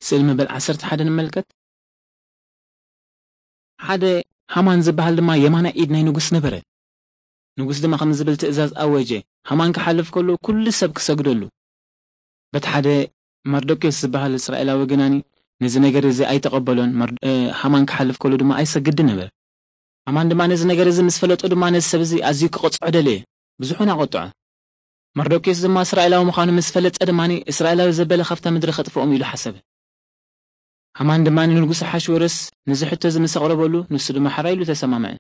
ስእሊ መበል ዓሰርተ ሓደ ንመልከት። ሓደ ሃማን ዝበሃል ድማ የማናይ ኢድ ናይ ንጉስ ነበረ። ንጉስ ድማ ከምዚ ዝብል ትእዛዝ ኣወጀ፣ ሃማን ክሓልፍ ከሎ ኩሉ ሰብ ክሰግደሉ። በቲ ሓደ መርዶክዮስ ዝበሃል እስራኤላዊ ግናኒ ነዚ ነገር እዚ ኣይተቐበሎን። መር-፣ እ፣ ሃማን ክሓልፍ ከሎ ድማ ኣይሰግድን ነበረ። ሃማን ድማ ነዚ ነገር እዚ ምስ ፈለጦ ድማ ነዚ ሰብ እዚ ኣዝዩ ክቐጽዖ ደለየ። ብዙሕ እውን ኣቐጥዖ። መርዶክዮስ ድማ እስራኤላዊ ምዃኑ ምስ ፈለጠ ድማ እስራኤላዊ ዘበለ ካብታ ምድሪ ከጥፍኦም ኢሉ ሓሰበ። ሃማን ድማ ንንጉስ ኣሓሽወሮስ ነዚ ሕቶ እዚ ምስ ኣቕረበሉ፣ ንሱ ድማ ሕራይ ኢሉ ተሰማምዐ።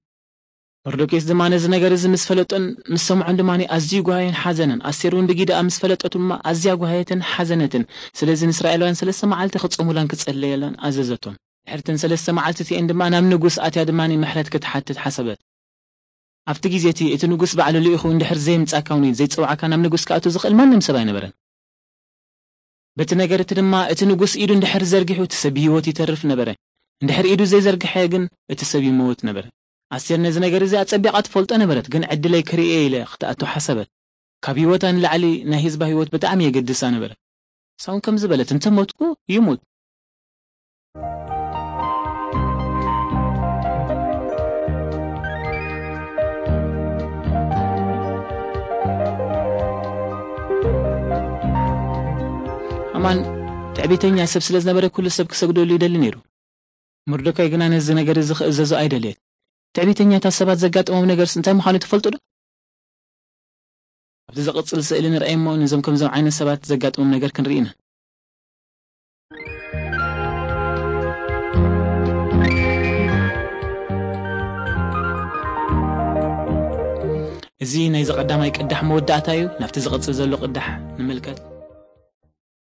መርዶክዮስ ድማ ነዚ ነገር እዚ ምስ ፈለጦን ምስ ሰምዖን ድማ ኣዝዩ ጓሃየን ሓዘነን። ኣስቴር እውን ብጊደኣ ምስ ፈለጠቱ ድማ ኣዝያ ጓሃየትን ሓዘነትን። ስለዚ ንእስራኤላውያን ሰለስተ መዓልቲ ክጾሙላን ክጸለየላን ኣዘዘቶም። ድሕርተን ሰለስተ መዓልቲ እቲኤን ድማ ናብ ንጉስ ኣትያ ድማ ምሕረት ክትሓትት ሓሰበት። ኣብቲ ግዜ እቲ፣ እቲ ንጉስ ባዕሉ ልኢኹ እንድሕር ዘይምጻእካ እውን ዘይጸውዓካ ናብ ንጉስ ክኣቱ ዝኽእል ማንም ሰብ ኣይነበረን። በቲ ነገር እቲ ድማ እቲ ንጉስ ኢዱ እንድሕር ዘርጊሑ እቲ ሰብ ብህይወት ይተርፍ ነበረ። እንድሕር ኢዱ ዘይዘርግሐ ግን እቲ ሰብ ይመውት ነበረ። ኣስቴር ነዚ ነገር እዚ ኣጸቢቓ ትፈልጦ ነበረት፣ ግን ዕድለይ ክርእየ ኢለ ክትኣቱ ሓሰበት። ካብ ህይወታ ንላዕሊ ናይ ህዝባ ህይወት ብጣዕሚ የገድሳ ነበረ። ሳውን ከምዚ በለት፣ "እንተ ሞትኩ ይሙት." ሃማን ትዕቢተኛ ሰብ ስለ ዝነበረ ኩሉ ሰብ ክሰግደሉ ይደሊ ነይሩ። መርዶካይ ግና ነዚ ነገር እዚ ክእዘዞ ኣይደለየት። ትዕቢተኛታት ሰባት ዘጋጥሞም ነገርስ እንታይ ምዃኑ ትፈልጡ ዶ? ኣብቲ ዝቕጽል ስእሊ ንርኣይ እሞ ነዞም ከምዞም ዓይነት ሰባት ዘጋጥሞም ነገር ክንርኢ ኢና። እዚ ናይዚ ቀዳማይ ቅዳሕ መወዳእታ እዩ። ናብቲ ዝቕጽል ዘሎ ቅዳሕ ንምልከት።